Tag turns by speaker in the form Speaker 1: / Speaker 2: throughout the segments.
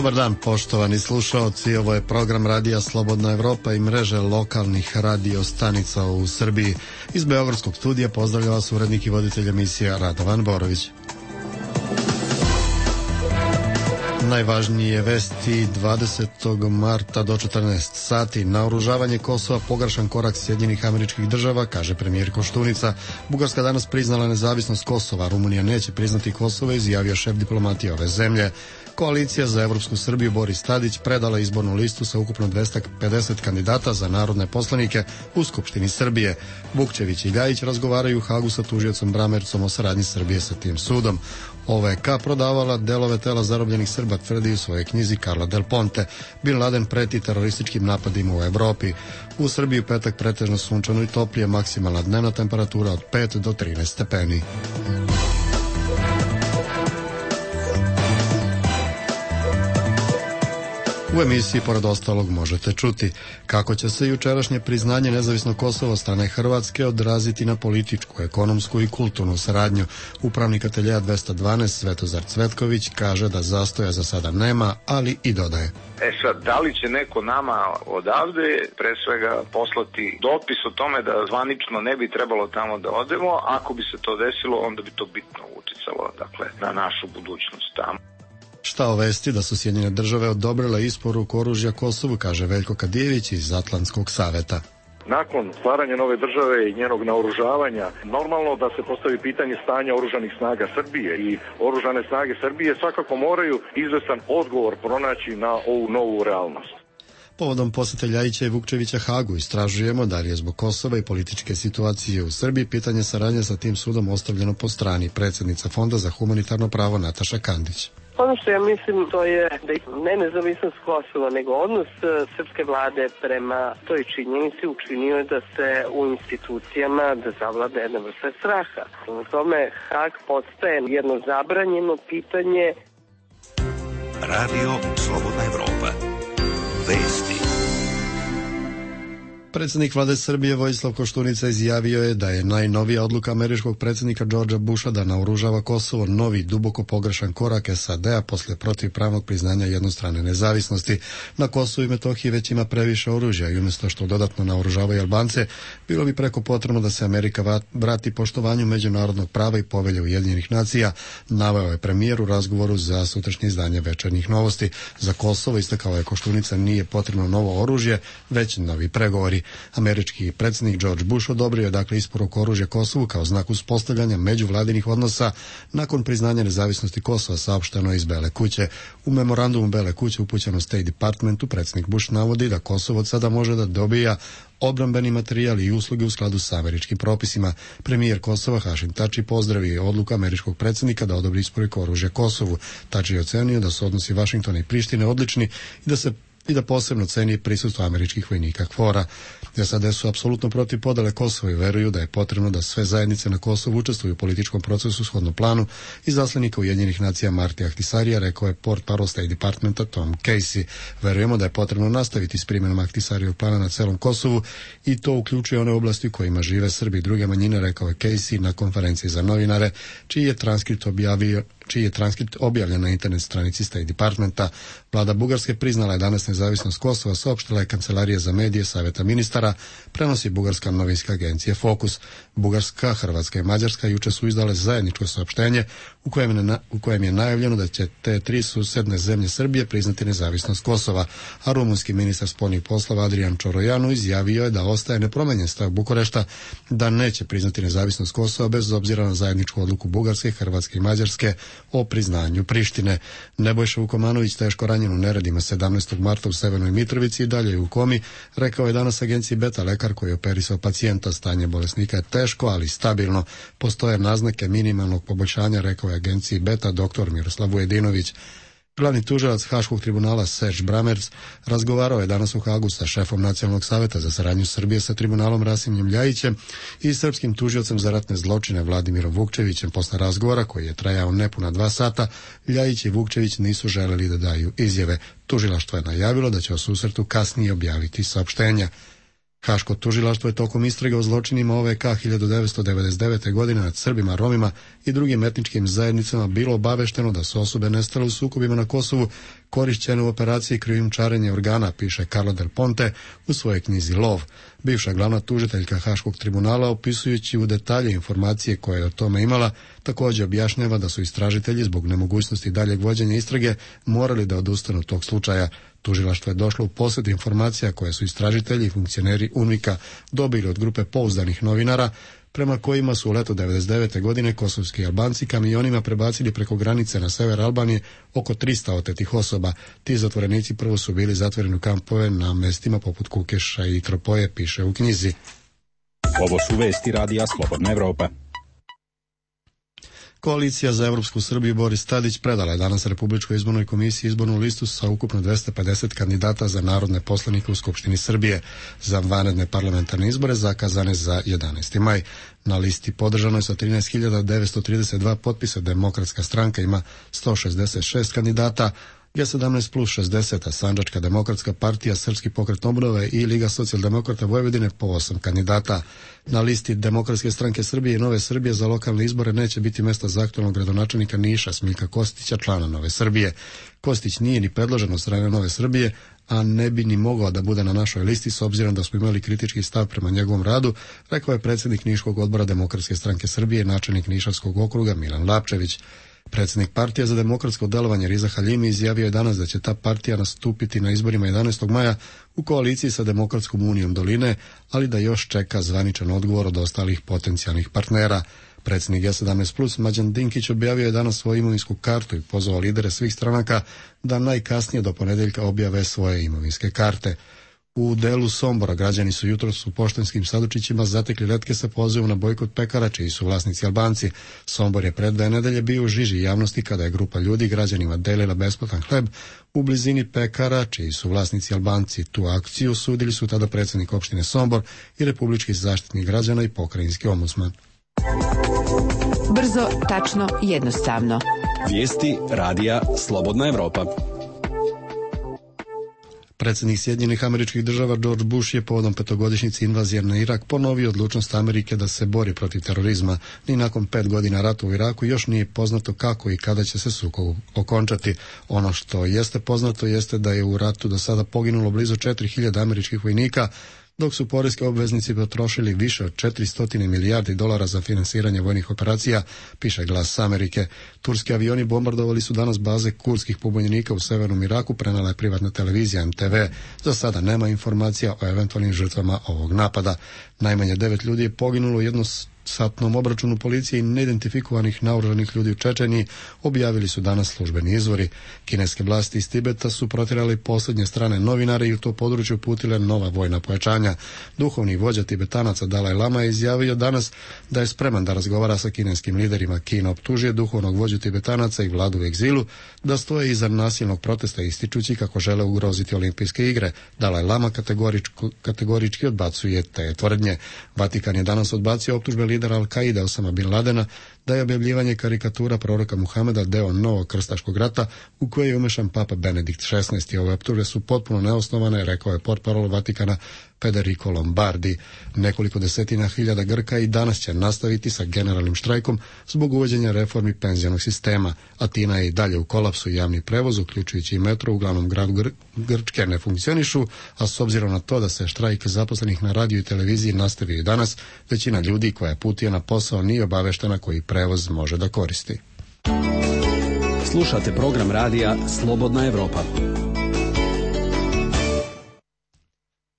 Speaker 1: Dobar dan, poštovani slušaoci. Ovo je program Radija Slobodna Evropa i mreže lokalnih radio stanica u Srbiji. Iz Beogradskog studija pozdravlja vas urednik i voditelj emisija Radovan Borović. Najvažnije vesti 20. marta do 14 sati. Naoružavanje Kosova pogrešan korak Sjedinjenih Američkih Država, kaže premijer Koštunica. Bugarska danas priznala nezavisnost Kosova. Rumunija neće priznati Kosovo, izjavio šef diplomatije ove zemlje. Koalicija za Evropsku Srbiju Boris Tadić predala izbornu listu sa ukupno 250 kandidata za narodne poslanike u Skupštini Srbije. Vukčević i Ljajić razgovaraju u Hagu sa tužiocom Bramercom o saradnji Srbije sa tim sudom. OVK prodavala delove tela zarobljenih Srba, tvrdi u svojoj knjizi Carla Del Ponte. Bin Laden preti terorističkim napadima u Evropi. U Srbiji u petak pretežno sunčano i toplije, maksimalna dnevna temperatura od 5 do 13 stepeni. U emisiji, pored ostalog, možete čuti kako će se jučerašnje priznanje nezavisnog Kosova od strane Hrvatske odraziti na političku, ekonomsku i kulturnu saradnju. Upravnik ateljeja 212 Svetozar Cvetković kaže da zastoja za sada nema, ali i dodaje.
Speaker 2: Sad, da li će neko nama odavde pre svega poslati dopis o tome da zvanično ne bi trebalo tamo da odemo? Ako bi se to desilo, onda bi to bitno uticalo, dakle, na našu budućnost tamo.
Speaker 1: Šta o vesti da su Sjedinjene Države odobrile isporuku oružja Kosovu, kaže Veljko Kadijević iz Atlantskog saveta.
Speaker 3: Nakon stvaranja nove države i njenog naoružavanja, normalno da se postavi pitanje stanja oružanih snaga Srbije i oružane snage Srbije svakako moraju izvestan odgovor pronaći na ovu novu realnost.
Speaker 1: Povodom posete Ljajića i Vukčevića Hagu istražujemo da li je zbog Kosova i političke situacije u Srbiji pitanje saradnje sa tim sudom ostavljeno po strani. Predsjednica Fonda za humanitarno pravo Nataša Kandić.
Speaker 4: Ono što ja mislim to je da ne nezavisnost Kosova, nego odnos srpske vlade prema toj činjenici učinio je da se u institucijama da zavlada jedna vrsta straha. U tome Hag postaje jedno zabranjeno pitanje.
Speaker 5: Radio Slobodna Evropa. Vesti.
Speaker 1: Predsjednik vlade Srbije Vojislav Koštunica izjavio je da je najnovija odluka američkog predsjednika Georgea Busha da naoružava Kosovo novi duboko pogrešan korak SAD-a posle protivpravnog priznanja jednostrane nezavisnosti. Na Kosovu i Metohiji već ima previše oružja i umjesto što dodatno naoružavaju Albance, bilo bi preko potrebno da se Amerika vrati poštovanju međunarodnog prava i povelje Ujedinjenih nacija, naveo je premijer u razgovoru za sutrašnje izdanje Večernjih novosti. Za Kosovo, istakao je Koštunica, nije potrebno novo oružje, već novi pregovori. Američki predsjednik George Bush odobrio je dakle isporuku oružja Kosovu kao znak uspostavljanja međuvladinih odnosa nakon priznanja nezavisnosti Kosova, saopšteno je iz Bele kuće. U memorandumu Bele kuće upućeno State Departmentu predsjednik Bush navodi da Kosovo od sada može da dobija obrambeni materijal i usluge u skladu sa američkim propisima. Premijer Kosova Hašim Tači pozdravio je odluku američkog predsjednika da odobri isporuku oružja Kosovu. Tači je ocenio da su odnosi Vašingtona i Prištine odlični i da posebno ceni prisustvo američkih vojnika KFOR-a. SAD su apsolutno protiv podele Kosova i veruju da je potrebno da sve zajednice na Kosovu učestvuju u političkom procesu shodno planu. Izaslanika Ujedinjenih nacija Marti Ahtisarija rekao je portparol State Departmenta Tom Casey. Verujemo da je potrebno nastaviti s primjenom Ahtisarijevog plana na celom Kosovu i to uključuje one oblasti u kojima žive Srbi i druge manjine, rekao je Casey na konferenciji za novinare, čiji je transkript objavljen na internet stranici State Departmenta. Vlada Bugarske priznala je danas nezavisnost Kosova, saopštila je Kancelarija za medije Saveta ministara, prenosi bugarska novinska agencija Fokus. Bugarska, Hrvatska i Mađarska juče su izdale zajedničko saopštenje u kojem je najavljeno da će te tri susedne zemlje Srbije priznati nezavisnost Kosova, a rumunski ministar spoljnih poslova Adrian Čorojanu izjavio je da ostaje nepromenjen stav Bukurešta da neće priznati nezavisnost Kosova bez obzira na zajedničku odluku Bugarske, Hrvatske i Mađarske o priznanju Prištine. Nebojša Vukomanović, teško ranjen u neredima 17. marta u Severnoj Mitrovici i dalje je u komi, rekao je danas agenciji Beta lekar koji je operisao pacijenta. Stanje bolesnika je teško, ali stabilno. Postoje naznake minimalnog poboljšanja, rekao je agenciji Beta dr. Miroslav Vujedinović. Glavni tužilac Haškog tribunala Serge Bramerc razgovarao je danas u Hagu sa šefom Nacionalnog saveta za saradnju Srbije sa tribunalom Rasimom Ljajićem i srpskim tužiocem za ratne zločine Vladimirom Vukčevićem. Posle razgovora, koji je trajao nepuna 2 sata, Ljajić i Vukčević nisu želeli da daju izjave. Tužilaštvo je najavilo da će o susretu kasnije objaviti saopštenja. Haško tužilaštvo je tokom istrage o zločinima OVK 1999. godine nad Srbima, Romima i drugim etničkim zajednicama bilo obavešteno da su osobe nestale u sukobima na Kosovu korišćene u operaciji krijumčarenja organa, piše Carlo Del Ponte u svojoj knjizi Lov. Bivša glavna tužiteljka Haškog tribunala, opisujući u detalje informacije koje je o tome imala, također objašnjava da su istražitelji zbog nemogućnosti daljeg vođenja istrage morali da odustanu od tog slučaja. Tužilaštvo je došlo u posjed informacija koje su istražitelji i funkcioneri UNMIK-a dobili od grupe pouzdanih novinara, prema kojima su u leto 1999. godine kosovski Albanci kamionima prebacili preko granice na sever Albanije oko 300 otetih osoba. Ti zatvorenici prvo su bili zatvoreni u kampove na mestima poput Kukeša i Tropoje, piše u knjizi.
Speaker 6: Ovo su vesti radija Slobodna Evropa.
Speaker 1: Koalicija za Evropsku Srbiju Boris Tadić predala je danas Republičkoj izbornoj komisiji izbornu listu sa ukupno 250 kandidata za narodne poslanike u Skupštini Srbije za vanredne parlamentarne izbore zakazane za 11. maj. Na listi podržano je sa 13.932 potpisa. Demokratska stranka ima 166 kandidata, G17 plus 60, Sandžačka demokratska partija, Srpski pokret obnove i Liga socijaldemokrata Vojvodine po 8 kandidata. Na listi Demokratske stranke Srbije i Nove Srbije za lokalne izbore neće biti mesta za aktualnog gradonačelnika Niša Smiljka Kostića, člana Nove Srbije. Kostić nije ni predložen od strane Nove Srbije, a ne bi ni mogao da bude na našoj listi s obzirom da smo imali kritički stav prema njegovom radu, rekao je predsjednik Niškog odbora Demokratske stranke Srbije, načelnik Nišavskog okruga Milan Lapčević. Predsjednik partije za demokratsko delovanje Riza Haljimi izjavio je danas da će ta partija nastupiti na izborima 11. maja u koaliciji sa Demokratskom unijom Doline, ali da još čeka zvaničan odgovor od ostalih potencijalnih partnera. Predsjednik G17 plus Mlađan Dinkić objavio je danas svoju imovinsku kartu i pozvao lidere svih stranaka da najkasnije do ponedjeljka objave svoje imovinske karte. U delu Sombora građani su jutros u poštanskim sandučićima zatekli letke sa pozivom na bojkot pekara čiji su vlasnici Albanci. Sombor je pred 2 nedelje bio u žiži javnosti kada je grupa ljudi građanima delila besplatan hleb u blizini pekara čiji su vlasnici Albanci. Tu akciju sudili su tada predsjednik opštine Sombor i republički zaštitnik građana i pokrajinski ombudsman.
Speaker 7: Brzo, tačno, jednostavno.
Speaker 6: Vijesti radija Slobodna Evropa.
Speaker 1: Predsjednik Sjedinjenih Američkih Država George Bush je povodom 5-godišnjice invazije na Irak ponovio odlučnost Amerike da se bori protiv terorizma. Ni nakon 5 godina rata u Iraku još nije poznato kako i kada će se sukob okončati. Ono što jeste poznato jeste da je u ratu do sada poginulo blizu 4.000 američkih vojnika, dok su poreski obveznici potrošili više od 400 milijardi dolara za finansiranje vojnih operacija, piše Glas Amerike. Turski avioni bombardovali su danas baze kurdskih pobunjenika u severnom Iraku, prenala je privatna televizija MTV. Za sada nema informacija o eventualnim žrtvama ovog napada. Najmanje 9 ljudi je poginulo u jednosatnom obračunu policije i neidentifikovanih naoružanih ljudi u Čečeniji, objavili su danas službeni izvori. Kineske vlasti iz Tibeta su protjerali posljednje strane novinare i u to područje uputile nova vojna pojačanja. Duhovni vođa Tibetanaca Dalaj Lama je izjavio danas da je spreman da razgovara sa kineskim liderima. Kina optužuje duhovnog vođu Tibetanaca i vladu u egzilu da stoje iza nasilnog protesta, ističući kako žele ugroziti olimpijske igre. Dalaj Lama kategorički odbacuje te tvrdnje. Vatikan je danas odbacio optužbe lidera Al-Kaide Osama Bin Ladena da je objavljivanje karikatura proroka Muhameda deo novog krstaškog rata u koje je umešan papa Benedikt XVI. Ove optužbe su potpuno neosnovane, rekao je portparol Vatikana Federico Lombardi. Nekoliko desetina hiljada Grka i danas će nastaviti sa generalnim štrajkom zbog uvođenja reformi penzionog sistema. Atina je i dalje u kolapsu, javni prevoz, uključujući i metro u glavnom gradu Grčke, ne funkcionišu, a s obzirom na to da se štrajk zaposlenih na radiju i televiziji nastavio i danas, većina ljudi koja putuje na posao nije obaveštena koji prevoz može da koristi.
Speaker 6: Slušate program radija Slobodna Evropa.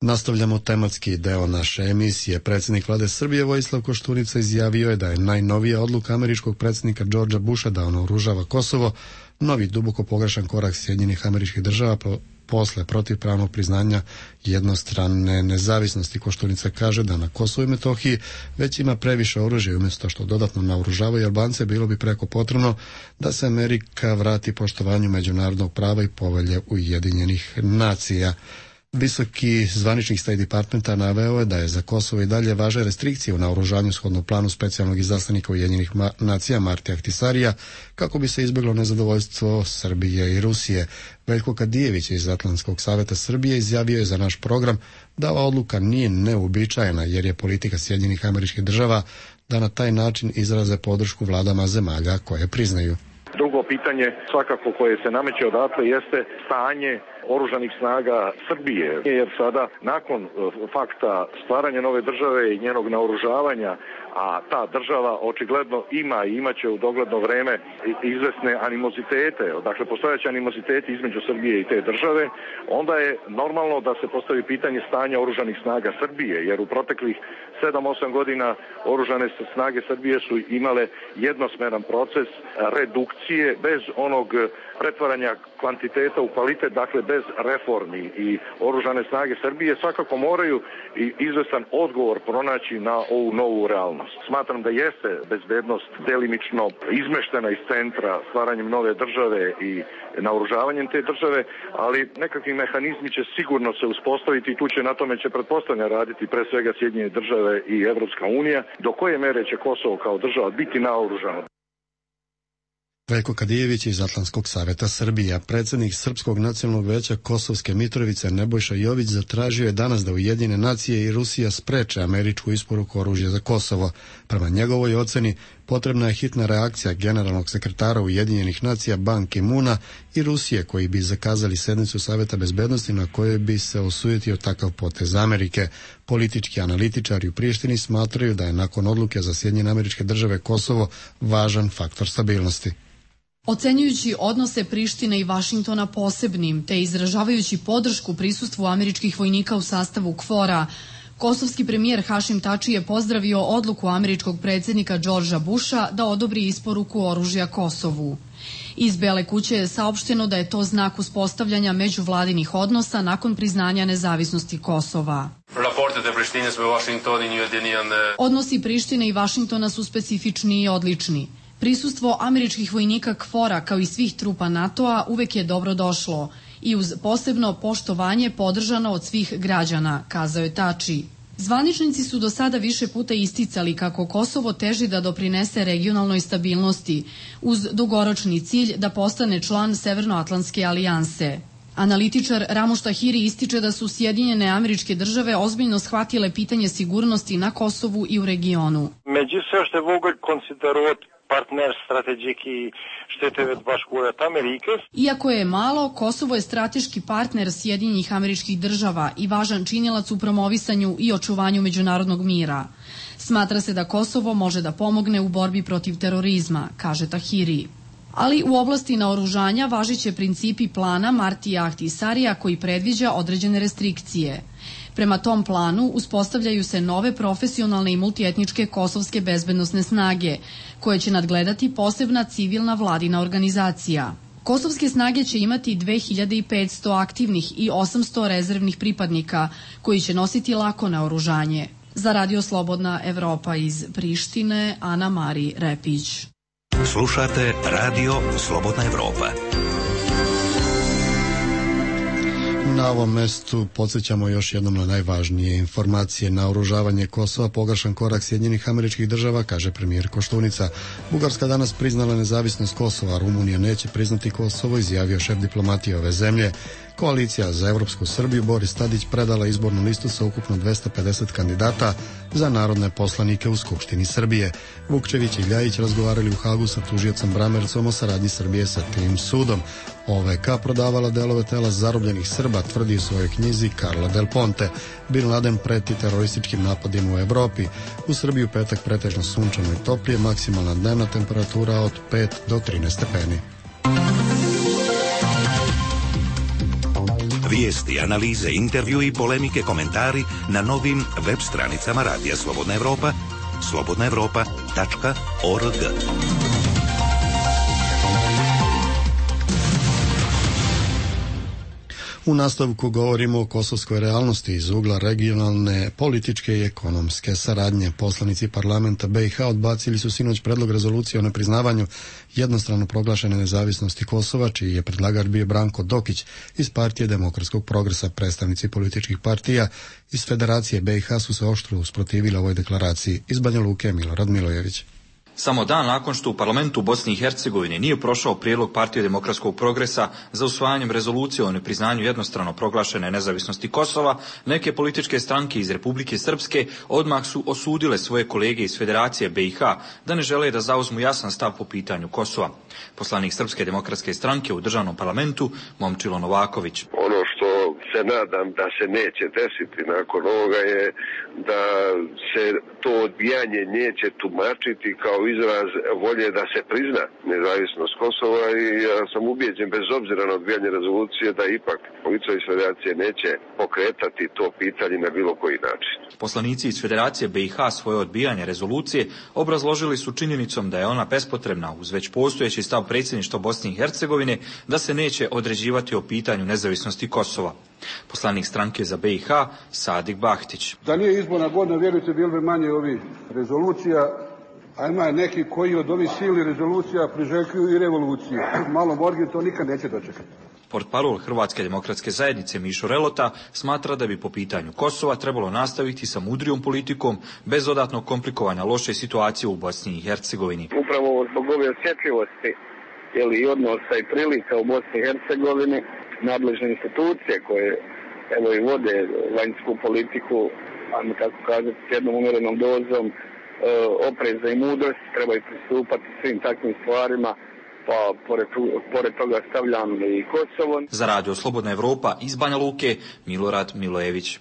Speaker 1: Nastavljamo tematski deo naše emisije. Predsjednik vlade Srbije Vojislav Koštunica izjavio je da je najnovija odluka američkog predsjednika Georgea Busha da naoružava Kosovo novi duboko pogrešan korak Sjedinjenih Američkih Država posle protivpravnog priznanja jednostrane nezavisnosti. Koštunica kaže da na Kosovu i Metohiji već ima previše oružja i umjesto što dodatno naoružavaju Albance, bilo bi preko potrebno da se Amerika vrati poštovanju međunarodnog prava i povelje Ujedinjenih nacija. Visoki zvaničnik State Departmenta naveo je da je za Kosovo i dalje važe restrikcije u naoružanju shodno planu specijalnog izaslanika Ujedinjenih nacija Martija Ahtisarija kako bi se izbjeglo nezadovoljstvo Srbije i Rusije. Veljko Kadijević iz Atlantskog savjeta Srbije izjavio je za naš program da ova odluka nije neuobičajena jer je politika Sjedinjenih Američkih Država da na taj način izraze podršku vladama zemalja koje priznaju.
Speaker 3: Drugo pitanje svakako koje se nameće odatle jeste stanje oružanih snaga Srbije, jer sada nakon fakta stvaranja nove države i njenog naoružavanja, a ta država očigledno ima i imaće u dogledno vreme izvesne animozitete, dakle postojeće animoziteti između Srbije i te države, onda je normalno da se postavi pitanje stanja oružanih snaga Srbije, jer u proteklih 7-8 godina oružane snage Srbije su imale jednosmeran proces redukcije bez onog pretvaranja kvantiteta u kvalitet, dakle bez reformi, i oružane snage Srbije svakako moraju i izvestan odgovor pronaći na ovu novu realnost. Smatram da jeste bezbednost delimično izmeštena iz centra stvaranjem nove države i naoružavanjem te države, ali nekakvi mehanizmi će sigurno se uspostaviti i tu će na tome pretpostavljam raditi pre svega Sjedinjene države i Evropska unija, do koje mere će Kosovo kao država biti naoružano.
Speaker 1: Veljko Kadijević iz Atlantskog saveta Srbije, predsjednik Srpskog nacionalnog veća Kosovske Mitrovice Nebojša Jović zatražio je danas da Ujedinjene nacije i Rusija spreče američku isporuku oružja za Kosovo. Prema njegovoj oceni potrebna je hitna reakcija generalnog sekretara Ujedinjenih nacija Ban Ki-moona i Rusije, koji bi zakazali sednicu Saveta bezbednosti na kojoj bi se osujetio takav potez Amerike. Politički analitičari u Prištini smatraju da je nakon odluke za Sjedinjene Američke Države Kosovo važan faktor stabilnosti.
Speaker 8: Ocenjujući odnose Prištine i Vašingtona posebnim, te izražavajući podršku prisustvu američkih vojnika u sastavu KFOR-a, kosovski premijer Hašim Tači je pozdravio odluku američkog predsjednika Georgea Busha da odobri isporuku oružja Kosovu. Iz Bele kuće je saopšteno da je to znak uspostavljanja međuvladinih odnosa nakon priznanja nezavisnosti Kosova. Odnosi Prištine i Vašingtona su specifični i odlični. Prisustvo američkih vojnika KFOR-a kao i svih trupa NATO-a uvek je dobro došlo i uz posebno poštovanje podržano od svih građana, kazao je Tači. Zvaničnici su do sada više puta isticali kako Kosovo teži da doprinese regionalnoj stabilnosti uz dugoročni cilj da postane član Severnoatlantske alijanse. Analitičar Ramuš Tahiri ističe da su Sjedinjene Američke Države ozbiljno shvatile pitanje sigurnosti na Kosovu i u regionu. Iako je malo, Kosovo je strateški partner Sjedinjenih Američkih Država i važan činilac u promovisanju i očuvanju međunarodnog mira. Smatra se da Kosovo može da pomogne u borbi protiv terorizma, kaže Tahiri. Ali u oblasti naoružanja važiće principi plana Martija Ahtisarija koji predviđa određene restrikcije. Prema tom planu uspostavljaju se nove profesionalne i multietničke kosovske bezbednosne snage, koje će nadgledati posebna civilna vladina organizacija. Kosovske snage će imati 2500 aktivnih i 800 rezervnih pripadnika, koji će nositi lako naoružanje. Za Radio Slobodna Evropa iz Prištine, Ana Mari Repić.
Speaker 5: Slušate Radio Slobodna Evropa.
Speaker 1: Na ovom mestu podsjećamo još jednom na najvažnije informacije. Naoružavanje Kosova pogrešan korak Sjedinjenih Američkih Država, kaže premijer Koštunica. Bugarska danas priznala nezavisnost Kosova, Rumunija neće priznati Kosovo, izjavio šef diplomatije ove zemlje. Koalicija za Evropsku Srbiju Boris Tadić predala izbornu listu sa ukupno 250 kandidata za narodne poslanike u Skupštini Srbije. Vukčević i Ljajić razgovarali u Hagu sa tužiocem Bramercom o saradnji Srbije sa tim sudom. OVK prodavala delove tela zarobljenih Srba, tvrdi u svojoj knjizi Karla Del Ponte. Bin Laden preti terorističkim napadima u Evropi. U Srbiji u petak pretežno sunčano i toplije, maksimalna dnevna temperatura od 5 do 13 stepeni.
Speaker 5: Vijesti, analize, intervju i polemike, komentari na novim web stranicama Radija Slobodna Evropa, slobodnaevropa.org.
Speaker 1: U nastavku govorimo o kosovskoj realnosti iz ugla regionalne, političke i ekonomske saradnje. Poslanici parlamenta BiH odbacili su sinoć predlog rezolucije o nepriznavanju jednostrano proglašene nezavisnosti Kosova, čiji je predlagač bio Branko Dokić iz Partije demokratskog progresa. Predstavnici političkih partija iz Federacije BiH su se oštro usprotivili ovoj deklaraciji. Iz Banja Luke Milorad Milojević.
Speaker 9: Samo dan nakon što u parlamentu u Bosni i Hercegovini nije prošao prijedlog Partije demokratskog progresa za usvajanjem rezolucije o nepriznanju jednostrano proglašene nezavisnosti Kosova, neke političke stranke iz Republike Srpske odmah su osudile svoje kolege iz Federacije BiH da ne žele da zauzmu jasan stav po pitanju Kosova. Poslanik Srpske demokratske stranke u državnom parlamentu Momčilo Novaković.
Speaker 10: Ono što se nadam da se neće desiti nakon ovoga je da se to odbijanje neće tumačiti kao izraz volje da se prizna nezavisnost Kosova i ja sam ubijeđen bez obzira na odbijanje rezolucije da ipak policija iz Federacije neće pokretati to pitanje na bilo koji način.
Speaker 9: Poslanici iz Federacije BiH svoje odbijanje rezolucije obrazložili su činjenicom da je ona bespotrebna uz već postojeći stav predsjedništva Bosne i Hercegovine da se neće određivati o pitanju nezavisnosti Kosova. Poslanik stranke za BiH Sadik Bahtić.
Speaker 11: Da nije izborna godina, vjerujte, bilo bi manje ovih rezolucija, a ima neki koji od ovih silnih rezolucija priželjkuju i revoluciju. Malo morgi to nikad neće dočekati.
Speaker 9: Portparol Hrvatske demokratske zajednice Mišo Relota smatra da bi po pitanju Kosova trebalo nastaviti sa mudrijom politikom bez dodatnog komplikovanja loše situacije u Bosni i Hercegovini.
Speaker 12: Upravo zbog ove osjetljivosti i odnosa i prilika u Bosni i Hercegovini, nadležne institucije koje i vode vanjsku politiku, ajmo tako kazati, s jednom umjerenom dozom opreza i mudrosti, trebaju pristupati svim takvim stvarima, pa pored toga stavljam i Kosovo.
Speaker 9: Za Radio Slobodna Evropa iz Banja Luke, Milorad Milojević.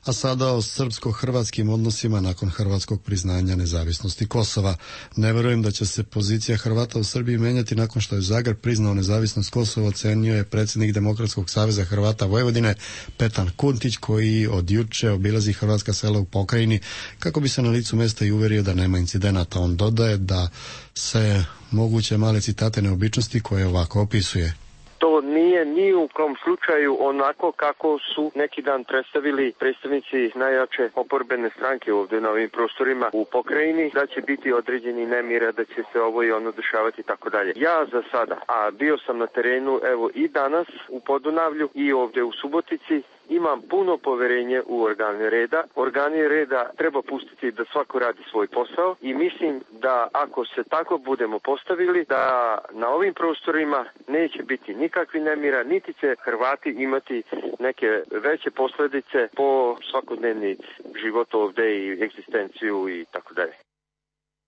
Speaker 1: A sada o srpsko-hrvatskim odnosima nakon hrvatskog priznanja nezavisnosti Kosova. Ne vjerujem da će se pozicija Hrvata u Srbiji menjati nakon što je Zagreb priznao nezavisnost Kosova, ocenio je predsjednik Demokratskog saveza Hrvata Vojvodine Petar Kuntić, koji od juče obilazi hrvatska sela u pokrajini kako bi se na licu mjesta i uvjerio da nema incidenata. On dodaje da se moguće male citate neobičnosti koje ovako opisuje.
Speaker 13: To nije ni u kom slučaju onako kako su neki dan predstavili predstavnici najjače oporbene stranke ovdje na ovim prostorima u pokrajini, da će biti određeni nemira, da će se ovo i ono dešavati i tako dalje. Ja za sada, a bio sam na terenu evo i danas u Podunavlju i ovdje u Subotici, imam puno poverenje u organe reda. Organe reda treba pustiti da svako radi svoj posao i mislim da ako se tako budemo postavili, da na ovim prostorima neće biti nikakvi nemira, niti će Hrvati imati neke veće posljedice po svakodnevni život ovdje i egzistenciju i tako dalje.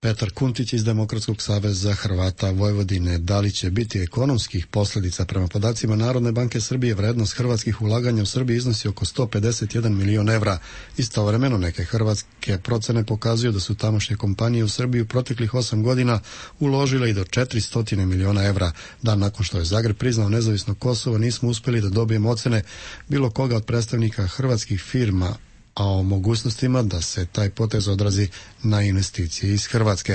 Speaker 1: Petar Kuntić iz Demokratskog saveza Hrvata Vojvodine. Da li će biti ekonomskih posljedica? Prema podacima Narodne banke Srbije, vrednost hrvatskih ulaganja u Srbiji iznosi oko 151 milion evra. Istovremeno neke hrvatske procene pokazuju da su tamošnje kompanije u Srbiju proteklih 8 godina uložile i do 400 miliona evra. Dan nakon što je Zagreb priznao nezavisno Kosovo, nismo uspjeli da dobijemo ocene bilo koga od predstavnika hrvatskih firma, a o mogućnostima da se taj potez odrazi na investicije iz Hrvatske.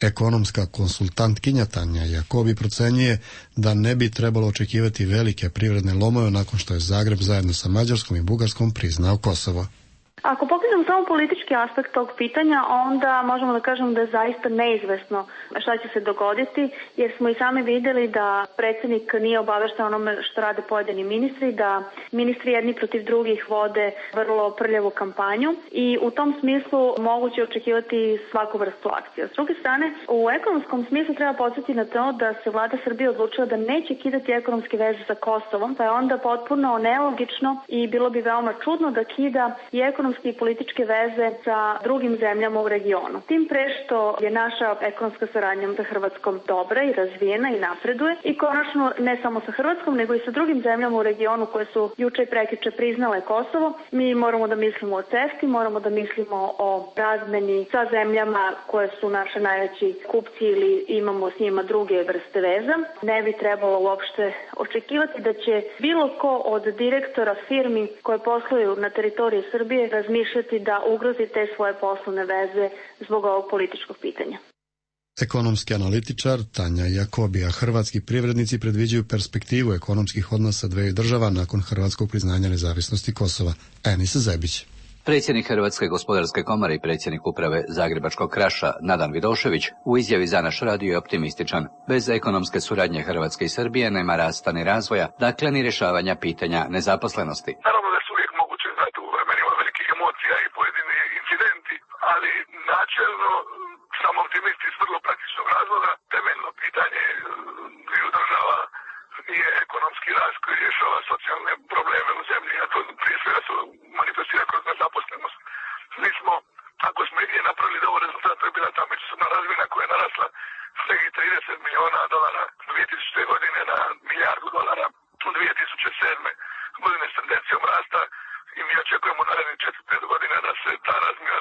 Speaker 1: Ekonomska konsultantkinja Tanja Jakobi procenjuje da ne bi trebalo očekivati velike privredne lomove nakon što je Zagreb zajedno sa Mađarskom i Bugarskom priznao Kosovo.
Speaker 14: Ako pogledamo samo politički aspekt tog pitanja, onda možemo da kažemo da je zaista neizvesno šta će se dogoditi, jer smo i sami vidjeli da predsjednik nije obavešten onome što rade pojedini ministri, da ministri jedni protiv drugih vode vrlo prljavu kampanju i u tom smislu moguće očekivati svaku vrstu akcija. S druge strane, u ekonomskom smislu treba podsjetiti na to da se vlada Srbije odlučila da neće kidati ekonomske veze sa Kosovom, pa je onda potpuno nelogično i bilo bi veoma čudno da kida i ekonomske i političke veze sa drugim zemljama u regionu. Tim pre što je naša ekonomska saradnja sa Hrvatskom dobra i razvijena i napreduje i konačno ne samo sa Hrvatskom nego i sa drugim zemljama u regionu koje su juče i prekjuče priznale Kosovo. Mi moramo da mislimo o CEFTA, moramo da mislimo o razmeni sa zemljama koje su naše najveći kupci ili imamo s njima druge vrste veza. Ne bi trebalo uopšte očekivati da će bilo ko od direktora firmi koje posluju na teritoriji Srbije razmišljati da ugrozi te svoje poslovne veze zbog ovog političkog pitanja.
Speaker 1: Ekonomski analitičar Tanja Jakobija. Hrvatski privrednici predviđaju perspektivu ekonomskih odnosa dveju država nakon hrvatskog priznanja nezavisnosti Kosova. Enis Zebić.
Speaker 15: Predsjednik Hrvatske gospodarske komore i predsjednik uprave Zagrebačkog Kraša Nadan Vidošević u izjavi za naš radio je optimističan. Bez ekonomske suradnje Hrvatske i Srbije nema rasta ni razvoja, dakle ni rješavanja pitanja nezaposlenosti.
Speaker 10: Naravno da su uvijek moguće, znate, u vremenima velikih emocija i pojedini incidenti, ali načelno sam optimist iz vrlo praktičnog
Speaker 16: socijalne probleme u zemlji, a to prije svega se manifestira kroz nezaposlenost. Mi smo, ako smo igdje napravili dobar rezultat, to je bila ta međusobna razmjena koja je narasla s nekih $30 miliona 2000. godine na $1 milijardu u 2007. godine s tendencijom rasta i mi očekujemo narednih 4-5 godina da se ta razmjena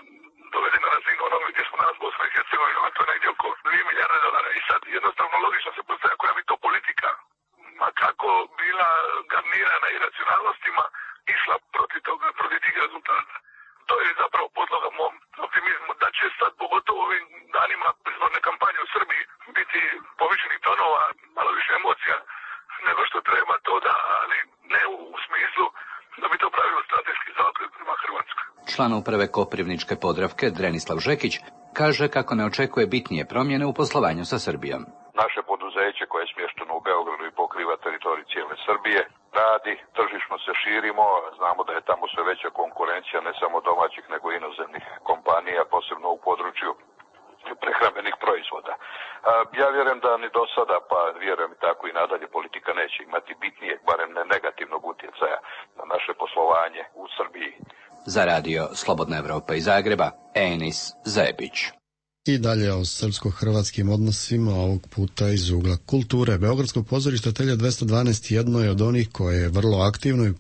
Speaker 16: dovede na razinu onoga gdje smo danas Bosna i Hercegovina, a to je negdje oko $2 milijarde. I sad jednostavno logično se postavlja koja bi to politika, ma kako bila garnirana i racionalnostima, išla protiv tih rezultata. To je zapravo podloga mom optimizmu da će sad, pogotovo ovim danima izborne kampanje u Srbiji, biti povišenih tonova, malo više emocija nego što treba to da, ali ne u smislu da bi to pravilo strateški zaokret prema Hrvatskoj.
Speaker 15: Član uprave Koprivničke Podravke Drenislav Žekić kaže kako ne očekuje bitnije promjene u poslovanju sa Srbijom.
Speaker 17: Naše poduzeće koje je smješteno u Beogradu i pokriva teritorij cijele Srbije radi, tržišno se širimo, znamo da je tamo sve veća konkurencija ne samo domaćih nego i inozemnih kompanija, posebno u području prehrambenih proizvoda. Ja vjerujem da ni do sada, pa vjerujem tako i nadalje, politika neće imati bitnije, barem ne negativnog utjecaja na naše poslovanje u Srbiji.
Speaker 15: Za radio Slobodna Evropa iz Zagreba, Enis Zebić.
Speaker 1: I dalje o srpsko-hrvatskim odnosima, ovog puta iz ugla kulture. Beogradsko pozorište Telja 212 jedno je od onih koje je vrlo aktivno i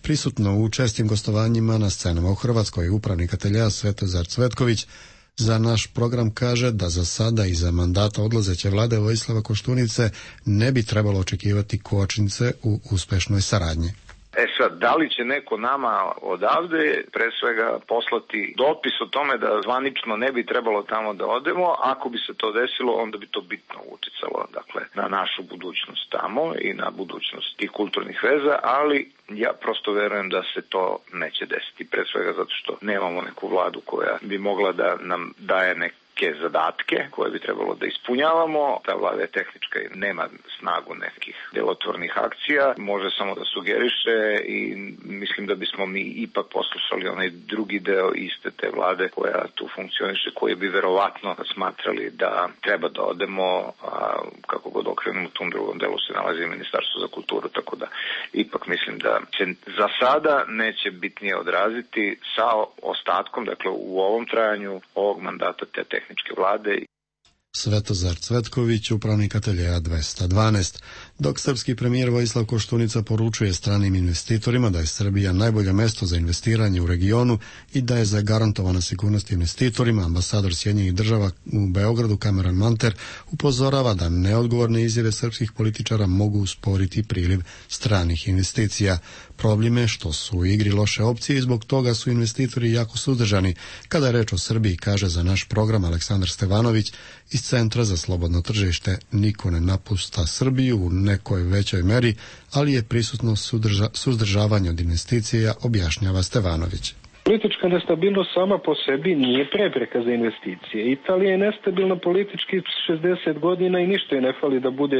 Speaker 1: prisutno u čestim gostovanjima na scenama u Hrvatskoj. Upravnik Ateljea Svetozar Cvetković za naš program kaže da za sada i za mandata odlazeće vlade Vojislava Koštunice ne bi trebalo očekivati kočnice u uspešnoj saradnji.
Speaker 2: Sad, da li će neko nama odavde pre svega poslati dopis o tome da zvanično ne bi trebalo tamo da odemo, ako bi se to desilo, onda bi to bitno uticalo, dakle, na našu budućnost tamo i na budućnost tih kulturnih veza, ali ja prosto verujem da se to neće desiti, pre svega zato što nemamo neku vladu koja bi mogla da nam daje neke zadatke koje bi trebalo da ispunjavamo. Ta vlada je tehnička i nema snagu nekih delotvornih akcija, može samo da sugeriše i mislim da bismo mi ipak poslušali onaj drugi deo iste te vlade koja tu funkcioniše, koji bi verovatno smatrali da treba da odemo, a kako god okrenemo u tom drugom delu se nalazi Ministarstvo za kulturu, tako da ipak mislim da se za sada neće bitnije odraziti sa ostatkom, dakle u ovom trajanju ovog mandata te tehničke vlade.
Speaker 1: Svetozar Cvetković, upravnik Ateljea 212. Dok srpski premijer Vojislav Koštunica poručuje stranim investitorima da je Srbija najbolje mesto za investiranje u regionu i da je zagarantovana sigurnost investitorima, ambasador Sjedinjenih Država u Beogradu Cameron Manter upozorava da neodgovorne izjave srpskih političara mogu usporiti priliv stranih investicija. Problem je što su u igri loše opcije i zbog toga su investitori jako suzdržani. Kada je reč o Srbiji, kaže za naš program Aleksandar Stevanović iz Centra za slobodno tržište, niko ne napušta Srbiju u nekoj većoj meri, ali je prisutno suzdržavanje od investicija, objašnjava Stevanović.
Speaker 18: Politička nestabilnost sama po sebi nije prepreka za investicije. Italija je nestabilna politički 60 godina i ništa je ne fali da bude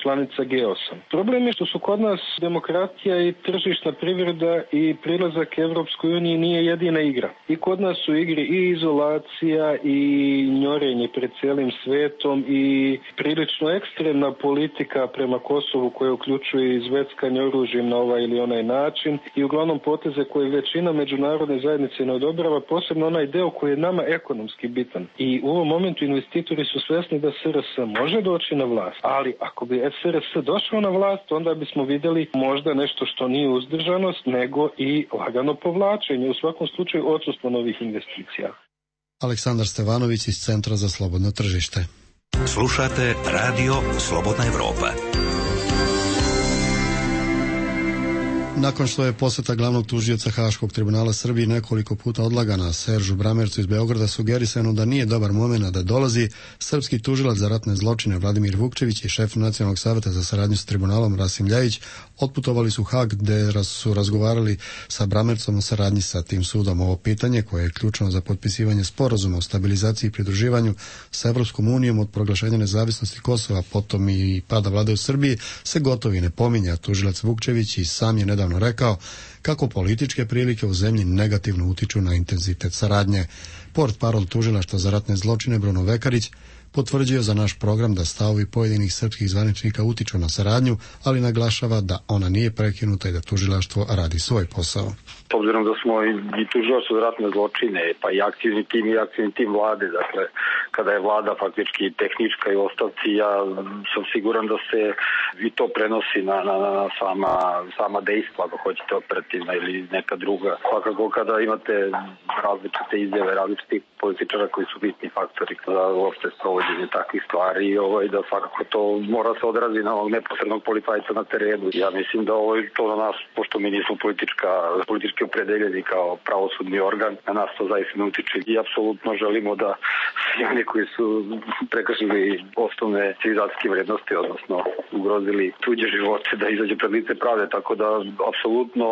Speaker 18: članica G8. Problem je što su kod nas demokratija i tržišna privreda i prilazak Evropskoj uniji nije jedina igra. I kod nas su igri i izolacija i njorenje pred cijelim svetom i prilično ekstremna politika prema Kosovu koja uključuje izveckanje oružjem na ovaj ili onaj način i uglavnom poteze koje većina međunarodne zajednice ne odobrava, posebno onaj deo koji je nama ekonomski bitan. I u ovom momentu investitori su svjesni da SRS može doći na vlast, ali ako bi SRS došao na vlast, onda bismo vidjeli možda nešto što nije uzdržanost, nego i lagano povlačenje, u svakom slučaju odsustvo novih investicija.
Speaker 1: Aleksandar Stevanović iz Centra za slobodno tržište.
Speaker 5: Slušate radio Slobodna Evropa.
Speaker 1: Nakon što je posjeta glavnog tužioca Haškog tribunala Srbije nekoliko puta odlagana Seržu Bramercu iz Beograda, sugerisano da nije dobar moment da dolazi, srpski tužilac za ratne zločine Vladimir Vukčević i šef Nacionalnog saveta za saradnju s tribunalom Rasim Ljajić otputovali su u Hag gde su razgovarali sa Bramercom o saradnji sa tim sudom. Ovo pitanje, koje je ključno za potpisivanje sporazuma o stabilizaciji i pridruživanju sa Evropskom unijom od proglašenja nezavisnosti Kosova, potom i pada vlade u Srbiji, se gotovo i ne pominja. Tužilac Vukčević i sam je nedavno rekao kako političke prilike u zemlji negativno utiču na intenzitet saradnje. Portparol tužilaštva za ratne zločine Bruno Vekarić potvrđuje za naš program da stavovi pojedinih srpskih zvaničnika utiču na saradnju, ali naglašava da ona nije prekinuta i da tužilaštvo radi svoj posao.
Speaker 19: S obzirom da smo i tužilaštvo za ratne zločine, pa i aktivni tim vlade, dakle, kada je vlada faktički tehnička i ostavci, ja sam siguran da se i to prenosi na sama dejstva, ako hoćete operativna ili neka druga. Svakako kada imate različite izjave, različitih političara koji su bitni faktori za uopšte sprovođenje takvih stvari, da svakako to mora se odrazi na ovog neposrednog policajca na terenu. Ja mislim da to na nas, pošto mi nismo politički opredeljeni kao pravosudni organ, na nas to zaista ne utiče i apsolutno želimo da svi oni koji su prekršili osnovne civilizacijske vrednosti, odnosno ugrozili tuđe živote, da izađe pred lice pravde, tako da apsolutno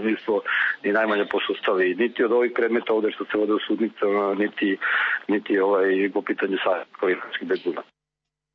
Speaker 19: nismo ni najmanje posustali niti od ovih predmeta ovde što se vode u sudnicama, niti po pitanju savjetskih beguna.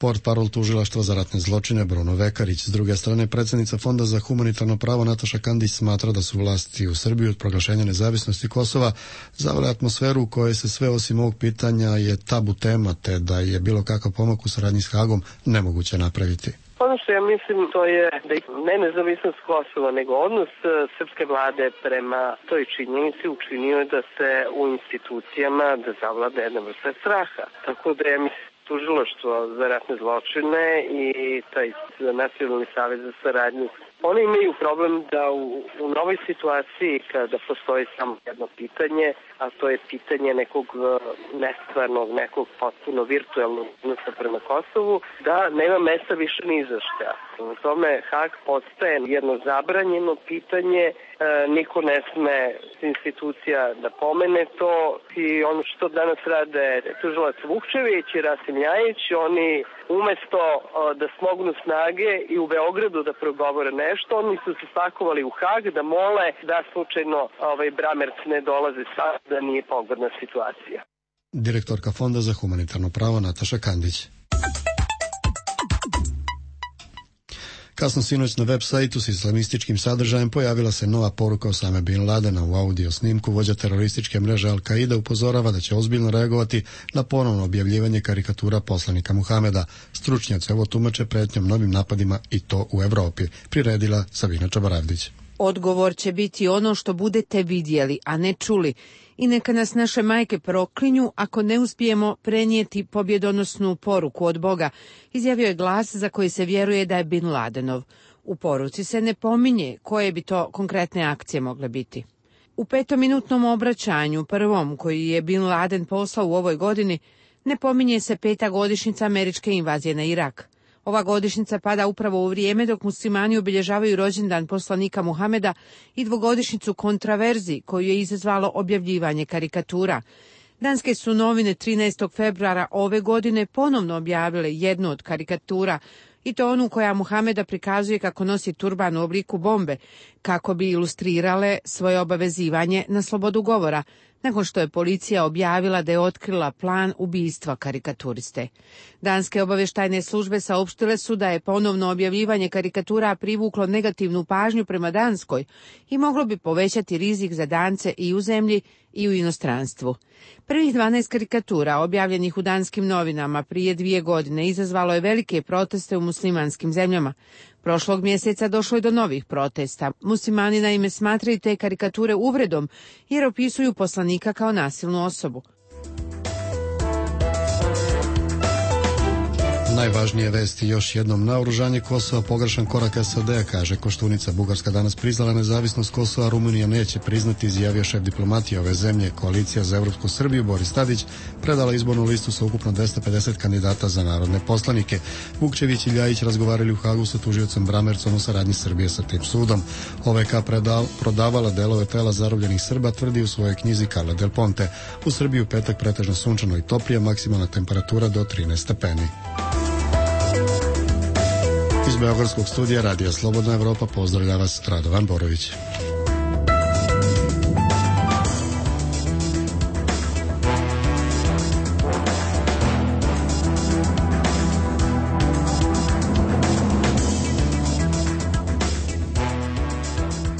Speaker 1: Portparol tužilaštva za ratne zločine Bruno Vekarić. S druge strane, predsjednica Fonda za humanitarno pravo Nataša Kandić smatra da su vlasti u Srbiji od proglašenja nezavisnosti Kosova zavele atmosferu u kojoj se sve osim ovog pitanja je tabu tema, te da je bilo kakav pomak u saradnji s Hagom nemoguće napraviti.
Speaker 4: Ono što ja mislim to je da ne nezavisnost Kosova, nego odnos srpske vlade prema toj činjenici učinio da se u institucijama da zavlada jedna vrsta straha. Tako da ja mislim tužilaštvo za ratne zločine i taj Nacionalni savez za saradnju. Oni imaju problem da u novoj situaciji kada postoji samo jedno pitanje, a to je pitanje nekog nestvarnog, nekog potpuno virtualnog odnosa prema Kosovu, da nema mesta više ni za šta. U tome Hag postaje jedno zabranjeno pitanje, niko ne sme institucija da pomene to i ono što danas rade tužilac Vukčević i Rasim Ljajić, oni umesto da smognu snage i u Beogradu da progovore nešto, oni su se spakovali u Hag da mole da slučajno Bramerc ne dolaze sad, da nije pogodna situacija.
Speaker 1: Direktorka Fonda za humanitarno pravo Nataša Kandić. Kasno sinoć na web sajtu s islamističkim sadržajem pojavila se nova poruka Osame Bin Ladena. U audio snimku vođa terorističke mreže Al-Qaida upozorava da će ozbiljno reagovati na ponovno objavljivanje karikatura poslanika Muhameda. Stručnjaci ovo tumače pretnjom novim napadima i to u Evropi, priredila Sabina Čabaravdić.
Speaker 7: Odgovor će biti ono što budete vidjeli, a ne čuli. I neka nas naše majke proklinju ako ne uspijemo prenijeti pobjedonosnu poruku od Boga, izjavio je glas za koji se vjeruje da je Bin Ladenov. U poruci se ne pominje koje bi to konkretne akcije mogle biti. U 5-minutnom obraćanju, prvom koji je Bin Laden poslao u ovoj godini, ne pominje se 5. godišnjica američke invazije na Irak. Ova godišnjica pada upravo u vrijeme dok muslimani obilježavaju rođendan poslanika Muhameda i 2-godišnjicu kontraverzi koju je izazvalo objavljivanje karikatura. Danske su novine 13. februara ove godine ponovno objavile jednu od karikatura, i to onu koja Muhameda prikazuje kako nosi turban u obliku bombe, kako bi ilustrirale svoje obavezivanje na slobodu govora, nakon što je policija objavila da je otkrila plan ubistva karikaturiste. Danske obavještajne službe saopštile su da je ponovno objavljivanje karikatura privuklo negativnu pažnju prema Danskoj i moglo bi povećati rizik za Dance i u zemlji i u inostranstvu. Prvih 12 karikatura objavljenih u danskim novinama prije 2 godine izazvalo je velike proteste u muslimanskim zemljama. Prošlog mjeseca došlo je do novih protesta. Muslimani naime smatraju te karikature uvredom jer opisuju poslanika kao nasilnu osobu.
Speaker 1: Najvažnije vesti još jednom: naoružanje Kosova pogrešan korak SAD-a, kaže Koštunica. Bugarska danas priznala nezavisnost Kosova, Rumunija neće priznati, izjavio šef diplomatije ove zemlje. Koalicija za Evropsku Srbiju Boris Tadić predala izbornu listu sa ukupno 250 kandidata za narodne poslanike. Vukčević i Ljajić razgovarali u Hagu sa tužiocem Bramercom o saradnji Srbije sa tim sudom. OVK prodavala delove tela zarobljenih Srba, tvrdi u svojoj knjizi Carla Del Ponte. U Srbiji u petak pretežno sunčano i toplije, maksimalna temperatura do 13 stepeni. Iz Beogradskog studija Radija Slobodna Evropa pozdravlja vas Radovan Borović.